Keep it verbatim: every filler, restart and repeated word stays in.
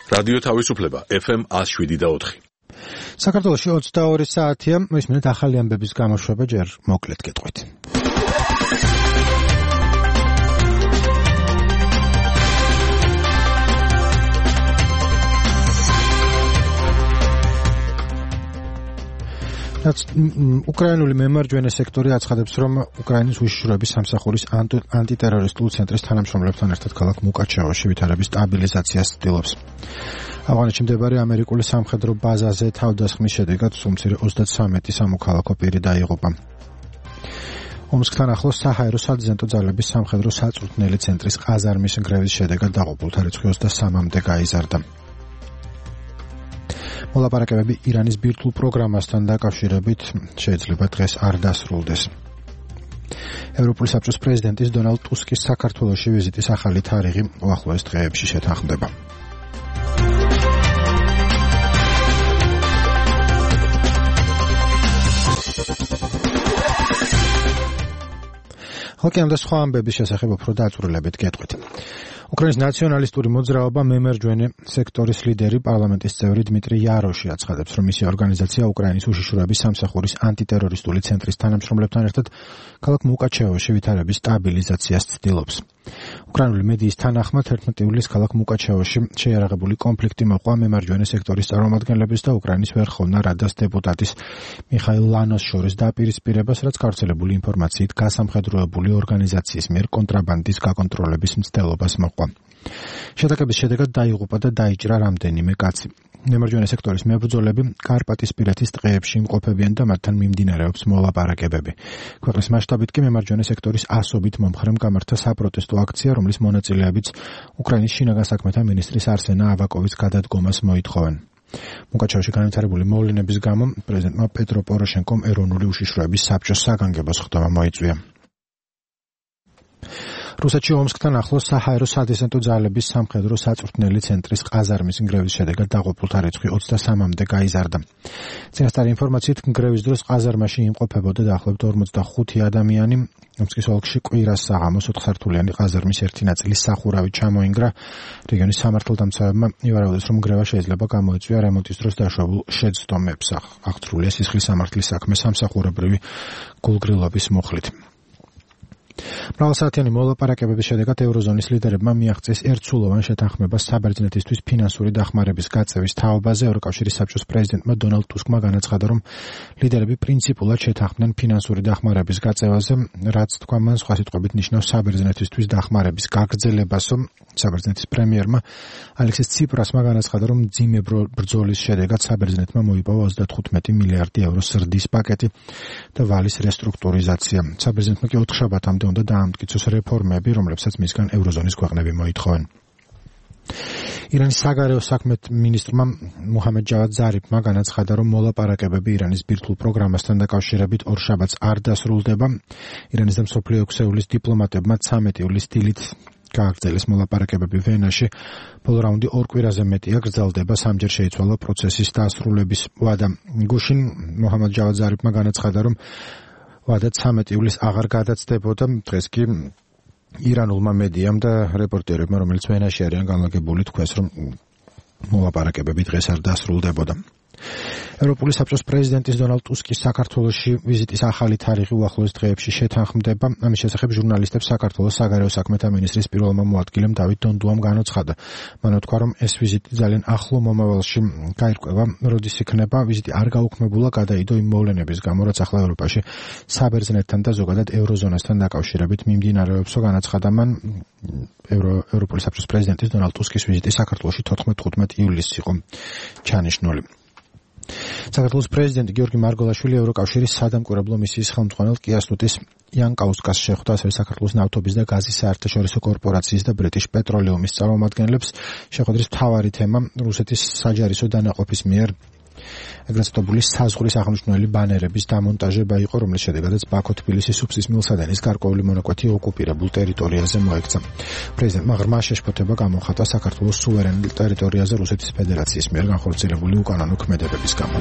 რადიო თავისუფლება ეფ ემ one oh seven და four. საქართველოში ოცდაორი საათია, მისმენთ ახალი ამბების გამოშვება ჯერ მოკლედ გეტყვით. უკრაინული მემარჯვენე სექტორი აცხადებს, რომ უკრაინის უშიშროების სამსახურის ანტიტერორისტულ ცენტრის თანამშრომლებთან ერთად ქალაქ მუკაჩევოში ვითარების სტაბილიზაციას ცდილობს. ავღანეთში მდებარე ამერიკული სამხედრო ბაზაზე თავდასხმის შედეგად სულ-მცირე ოცდათვრამეტი სამოქალაქო პირი დაიღუპა. ომსკთან ახლოს საჰაერო სადიზენტო ძალების სამხედრო საწვრთნელი ცენტრის ყაზარმის ნგრევის შედეგად დაღუპულთა რიცხვი ოცდასამამდე გაიზარდა. მოლაპარაკებები ირანის ბირთვულ პროგრამასთან დაკავშირებით შეიძლება დღეს არ დასრულდეს. ევროპული საბჭოს პრეზიდენტის დონალდ ტუსკის საქართველოში ვიზიტის ახალი თარიღი უახლოეს დღეებში შეთანხმდება. ხალხი და სხვა ამბების შესახებ უფრო დაწვრილებით გეტყვით. უკრაინის ნაციონალისტური მოძრაობა მემარჯვენე სექტორის ლიდერი პარლამენტის წევრი დმიტრი იაროში აცხადებს, რომ მისი ორგანიზაცია უკრაინის უშიშროების სამსახურის ანტიტერორისტული ცენტრის თანამშრომლებთან ერთად ქალაქ მუკაჩევოში ვითარების სტაბილიზაციას ცდილობს. უკრაინული მედიის თანახმად ერთმეტი ივლისს ქალაქ მუკაჩევოში შეიარაღებული კონფლიქტი მოყვა მემარჯვენე სექტორის წარმომადგენლების და უკრაინის ვერხოვნა რადას დეპუტატის მიხაილ ლანოს შორის დაპირისპირებას, რაც გავრცელებული ინფორმაციით გასამხედროებული ორგანიზაციის მიერ კონტრაბანდის გაკონტროლების მცდელობას მოყვა. შეტაკების შედეგად დაიღუპა და დაიჭრა რამდენიმე კაცი. მემარჯვენე სექტორის მებრძოლები კარპატისპირეთის ტყეებში იმყოფებიან და მათთან მიმდინარეობს მოლაპარაკებები. ქვეყნის მასშტაბით კი მემარჯვენე სექტორის ასობით მომხრემ გამართა საპროტესტო აქცია, რომლის მონაწილეებიც უკრაინის შინაგან საქმეთა მინისტრის არსენა ავაკოვის გადადგომას მოითხოვენ. მუკაჩევოში განვითარებული მოვლენების გამო პრეზიდენტმა პეტრო პოროშენკომ ეროვნული უშიშროების საბჭოს საგანგებო სხდომა მოიწვია. რუსეთში ომსკთან ახლოს საჰაერო სადიზენტო ძალების სამხედრო საწვრთნელი ცენტრის ყაზარმის ნგრევის შედეგად დაღუპულთა რიცხვი ოცდასამამდე გაიზარდა. წინასწარი ინფორმაციით ნგრევის დროს ყაზარმაში იმყოფებოდა დაახლოებით ორმოცდახუთი ადამიანი. ომსკის ოლქში კვირას საღამოს ოთხსართულიანი ყაზარმის ერთი ნაწილის სახურავი ჩამოინგრა. რეგიონის სამართალდამცავებმა ივარაუდეს, რომ ნგრევა შეიძლება გამოიწვია რემონტის დროს დაშვებულ შეცდომებს. აღთრულია სისხლის სამართლის საქმე სამსახურებრივი გულგრილობის მუხლით. მრავალსაათიანი მოლაპარაკებების შედეგად ევროზონის ლიდერებმა მიაღწიეს ერთსულოვან შეთანხმებას საბერძნეთისთვის ფინანსური დახმარების გაწევის თაობაზე. ევროკავშირის საბჭოს პრეზიდენტმა დონალდ ტუსკმა განაცხადა, რომ ლიდერები პრინციპულად შეთანხმდნენ ფინანსური დახმარების გაწევაზე, რაც თქვა მან სხვა სიტყვებით ნიშნავს საბერძნეთისთვის დახმარების გაგრძელებას. საბერძნეთის პრემიერმა ალექსის ციპრასმა განაცხადა, რომ მძიმე ბრძოლის შედეგად საბერძნეთმა მოიპოვა ოცდათხუთმეტი მილიარდი ევროს ზრდის პაკეტი და ვალის რესტრუქტურიზაცია. საბერძნეთმა კი ოთხშაბათამდე უნდა დაამტკიცოს რეფორმები, რომლებსაც მისგან ევროზონის ქვეყნები მოითხოვენ. ირანის საგარეო საქმეთა მინისტრმა მუჰამედ ჯავად ზარიფმა განაცხადა, რომ მოლაპარაკებები ირანის ბირთვულ პროგრამასთან დაკავშირებით ორშაბათს არ დასრულდება. ირანის და მსოფლიო ექვსეულის დიპლომატებმა ცამეტი ივლისს დილით გააგრძელეს მოლაპარაკებები ვენაში. ბოლო რაუნდი ორ კვირაზე მეტია გრძელდება. სამჯერ შეიცვალა პროცესის დასრულების ვადა. გუშინ მუჰამედ ჯავად ზარიფმა განაცხადა, რომ ვადა ცამეტი ივლისს აღარ გადაცდებოდა. დღეს კი ირანულმა მედიამ და რეპორტერებმა, რომელიც ვენაში არიან განლაგებული, თქვეს, რომ მოლაპარაკებები დღეს არ დასრულდებოდა. ევროპული საბჭოს პრეზიდენტის დონალდ ტუსკის საქართველოში ვიზიტის ახალი თარიღი უახლოეს დღეებში შეთანხმდება. ამის შესახებ ჟურნალისტებს საქართველოს საგარეო საქმეთა მინისტრის პირველმა მოადგილემ დავით დონდუამ განაცხადა. მან თქვა, რომ ეს ვიზიტი ძალიან ახლო მომავალში გაირკვევა. როდის იქნება, ვიზიტი არ გაუქმებულა გადაიდო იმ მოვლენების გამო, რაც ახლა ევროპაში საბერძნეთთან და ზოგადად ევროზონასთან დაკავშირებით მიმდინარეობსო. განაცხადა მან, ევროპული საბჭოს პრეზიდენტის დონალდ ტუსკის ვიზიტი საქართველოში თოთხმეტ ივლისს იყო ჩანიშნული. საქართველოს პრეზიდენტი გიორგი მარგოლაშვილი ევროკავშირის სადამკვირვებლო მისიის ხელმძღვანელ კიასტუტის იანკაუსკას შეხვდა, ასევე საქართველოს ნავთობის და გაზის საერთაშორისო კორპორაციის და ბრიტიშ პეტროლიუმის წარმომადგენლებს. შეხვედრის მთავარი თემა რუსეთის საჯარისო დანაყოფის მიერ ეგრეთ წოდებული საზღვრის აღნიშნული ბანერების დამონტაჟება იყო, რომლის შედეგადაც ბაქო-თბილისის სუფსის მილსადენის გარკვეული მონაკვეთი ოკუპირებულ ტერიტორიაზე მოექცა. პრეზიდენტმა ღრმა შეშფოთება გამოხატა საქართველოს სუვერენულ ტერიტორიაზე რუსეთის ფედერაციის მიერ განხორციელებული უკანონო ქმედებების გამო.